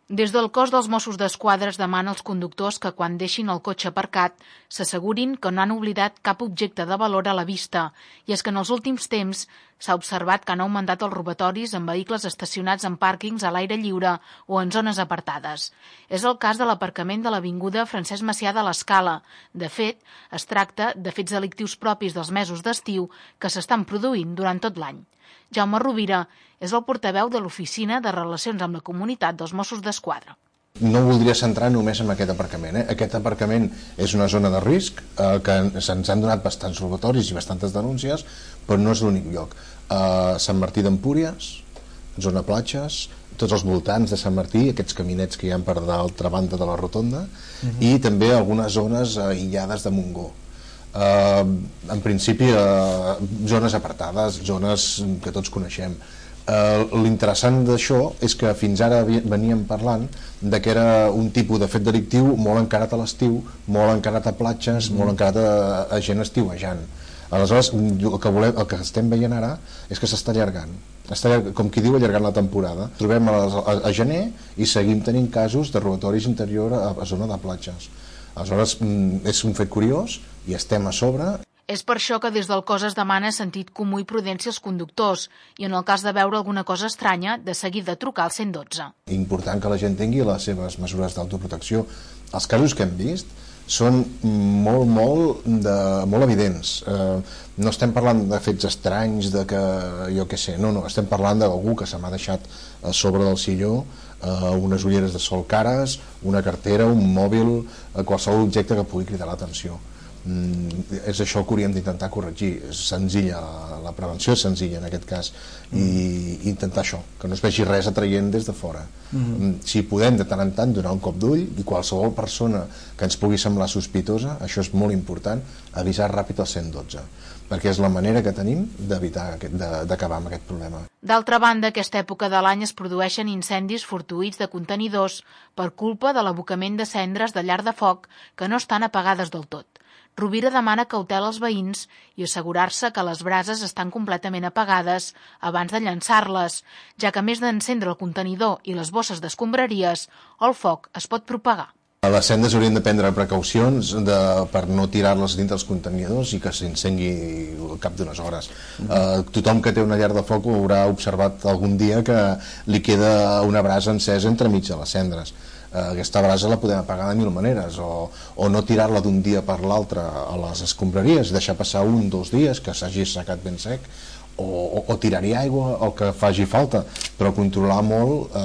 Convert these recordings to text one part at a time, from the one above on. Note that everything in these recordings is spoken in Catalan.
Des del cos dels Mossos d'Esquadra es demana als conductors que quan deixin el cotxe aparcat s'assegurin que no han oblidat cap objecte de valor a la vista, i és que en els últims temps s'ha observat que han augmentat els robatoris en vehicles estacionats en pàrquings a l'aire lliure o en zones apartades. És el cas de l'aparcament de l'avinguda Francesc Macià de l'Escala. De fet, es tracta de fets delictius propis dels mesos d'estiu que s'estan produint durant tot l'any. Jaume Rovira és el portaveu de l'Oficina de Relacions amb la Comunitat dels Mossos d'Esquadra. No voldria centrar només en aquest aparcament. Aquest aparcament és una zona de risc, que se'ns han donat bastants robatoris i bastantes denúncies, però no és l'únic lloc. Sant Martí d'Empúries, zona platges, tots els voltants de Sant Martí, aquests caminets que hi ha per l'altra banda de la rotonda, i també algunes zones aïllades de Montgó. En principi, zones apartades, zones que tots coneixem. L'interessant d'això és que fins ara veníem parlant de que era un tipus de fet delictiu molt encarat a l'estiu, molt encarat a platges, molt encarat a gent estiuejant. Aleshores, el que estem veient ara és que s'està allargant. Està, com qui diu, allargant la temporada. Trobem a gener i seguim tenint casos de robatoris interior a zona de platges. Aleshores, és un fet curiós i estem a sobre. És per això que des del cos es demana sentit comú i prudència als conductors i en el cas de veure alguna cosa estranya, de seguida trucar al 112. Important que la gent tingui les seves mesures d'autoprotecció. Els casos que hem vist són molt evidents. No estem parlant de fets estranys, de que jo què sé, no, estem parlant d'algú que se m'ha deixat a sobre del silló unes ulleres de sol cares, una cartera, un mòbil, qualsevol objecte que pugui cridar l'atenció. És això que hauríem d'intentar corregir. És senzilla, la prevenció és senzilla en aquest cas, i intentar això, que no es vegi res atraient des de fora. Si podem de tant en tant donar un cop d'ull, i qualsevol persona que ens pugui semblar sospitosa, això és molt important, avisar ràpid al 112, perquè és la manera que tenim d'evitar, d'acabar amb aquest problema. D'altra banda, aquesta època de l'any es produeixen incendis fortuïts de contenidors per culpa de l'abocament de cendres de llar de foc que no estan apagades del tot. Rovira demana cautela als veïns i assegurar-se que les brases estan completament apagades abans de llançar-les, ja que a més d'encendre el contenidor i les bosses d'escombraries, el foc es pot propagar. A les cendres haurien de prendre precaucions per no tirar-les dins dels contenidors i que s'encengui al cap d'unes hores. Tothom que té una llar de foc haurà observat algun dia que li queda una brasa encesa entremig de les cendres. Aquesta brasa la podem apagar de mil maneres, o no tirar-la d'un dia per l'altre a les escombraries, deixar passar 1 o 2 dies que s'hagi assecat ben sec, o tirar-hi aigua, el que faci falta, però controlar molt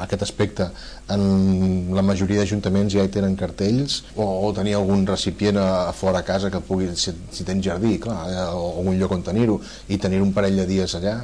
aquest aspecte. En la majoria d'ajuntaments ja hi tenen cartells, o tenir algun recipient a fora a casa que pugui, si tens jardí, clar, o algun lloc on tenir-ho, i tenir un parell de dies allà.